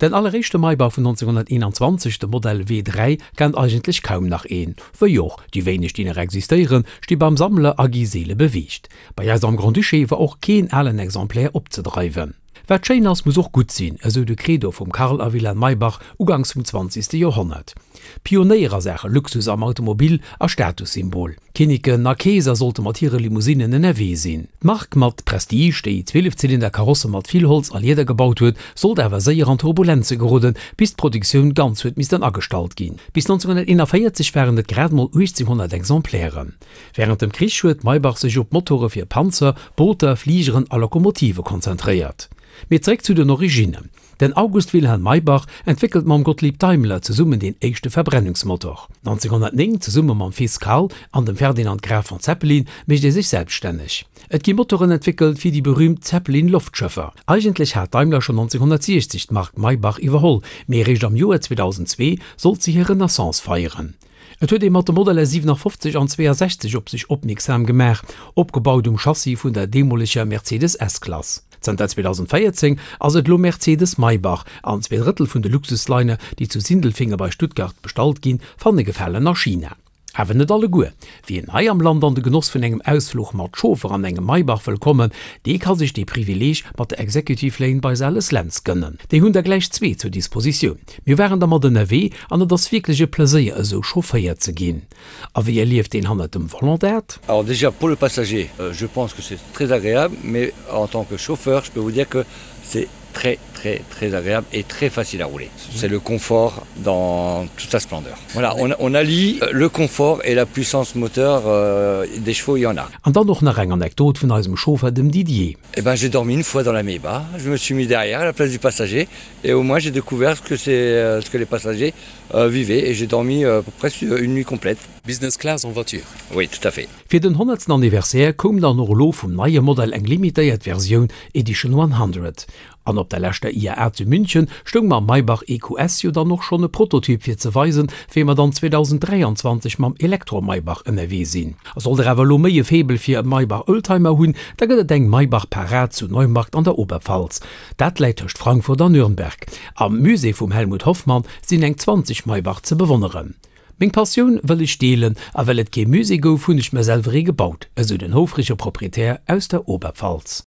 Den alleréischte Maybach vun 1921, de Modell W3, kennt eigentlech kaum nach een. Wéi och, déi wéineg déi nach existéieren, sti beim Sammler a gi seele beweegt. Bei eis am Grand-Duché war och keen alen Exemplaire opzedreiwen. Wat schéin ass, muss och gutt sinn, esou de Credo vum Karl a Wilhelm Maybach uganks vum zwanzegste Joerhonnert. Pionéier a Saache Luxus am Automobil a Statussymbol. Kinniken a Keeser sollte mat hire Limousinnen ënnerwee sinn. D'Mark mat Prestige, déi Zwielefzylinder-Karosse mat vill Holz a Lieder gebaut huet, sollt awer séier an Turbulenze geroden, bis d'Produktioun ganz huet missten agestallt ginn. Bis 1941 waren et grad mol 1.800 Exemplairen. Wärend dem Krich huet Maybach sech op Motore fir Panzer, Booter, Fligeren a Lokomotive konzentréiert. Mee zeréck zu den Originnen. Den August Wilhelm Maybach entwéckelt mam Gottlieb Daimler zesummen deen éischte Verbrennungsmotor. 1909, zesumme mam Fils Karl an dem Ferdinand Graf von Zeppelin, mécht ee sech selbststänneg. Et gi Motoren entwéckelt fir déi berüümt Zeppelin-Loftschëffer. Eigentlech hat Daimler schonn 1960 d'Mark Maybach iwwerholl, mee eréischt am Joer 2002 sollt se hir Renaissance feieren. Et huet ee mat de Modeller 57 an 62 op sech opmierksam gemaach, opgebaut um Chassis vun der deemoleger Mercedes S-Klass. Zanter 2014 ass et elo Mercedes-Maybach an zweedrëttel vun de Luxusliner, déi zu Sindelfingen bei Stuttgart bestallt ginn, fanne Gefalen a China. Awer net alleguer. Wien hei am Land an de Genoss vun engem Ausfluch mat Chauffer an engem Maybach wëll kommen, dee ka sech dee Privileeg mat der Executive Lane bei Sales Lentz gënnen. Déi hunn der gläich zwee zur Dispositioun. Mir waren dermat ënnerwee an et ass wierklech e Pleséier esou chaufféiert ze ginn. A wéi erlieft een hannert dem Volant dat? Alors déjà pour le passager, je pense que c'est très agréable, mais en tant que chauffeur, je peux vous dire que c'est très très très agréable et très facile à rouler. C'est le confort dans toute sa splendeur. Voilà, on, on allie le confort et la puissance moteur euh, des chevaux, il y en a. An dann och nach eng Anekdot vun eisem Chauffer, dem Didier. Eh ben j'ai dormi une fois dans la Maybach, je me suis mis derrière à la place du passager et au moins j'ai découvert ce que c'est euh, ce que les passagers euh, vivaient et j'ai dormi euh, presque une nuit complète. Business class en voiture. Oui, tout à fait. Fir den honnertsten Anniversaire koum dann och elo vum neie Modell eng limitéiert Versioun, Edition 100. An op der leschter IAA zu München stoung mam Maybach EQS jo dann och schonn e Prototyp fir ze weisen, wéi mer dann 2023 mam Elektro-Maybach ënnerwee sinn. A sollt der awer elo méi e Faible fir e Maybach Oldtimer hunn, da gëtt et eng Maybach Parad zu Neumarkt an der Oberpfalz. Dat läit tëscht Frankfurt an Nürnberg. Am Musée vum Helmut Hoffmann sinn eng 20 Maybach ze bewonneren. Meng Passioun wëll ech deelen a well et kee Musée gouf, hunn ech mer selwer ee gebaut, esou den houfrege Proprietär aus der Oberpfalz.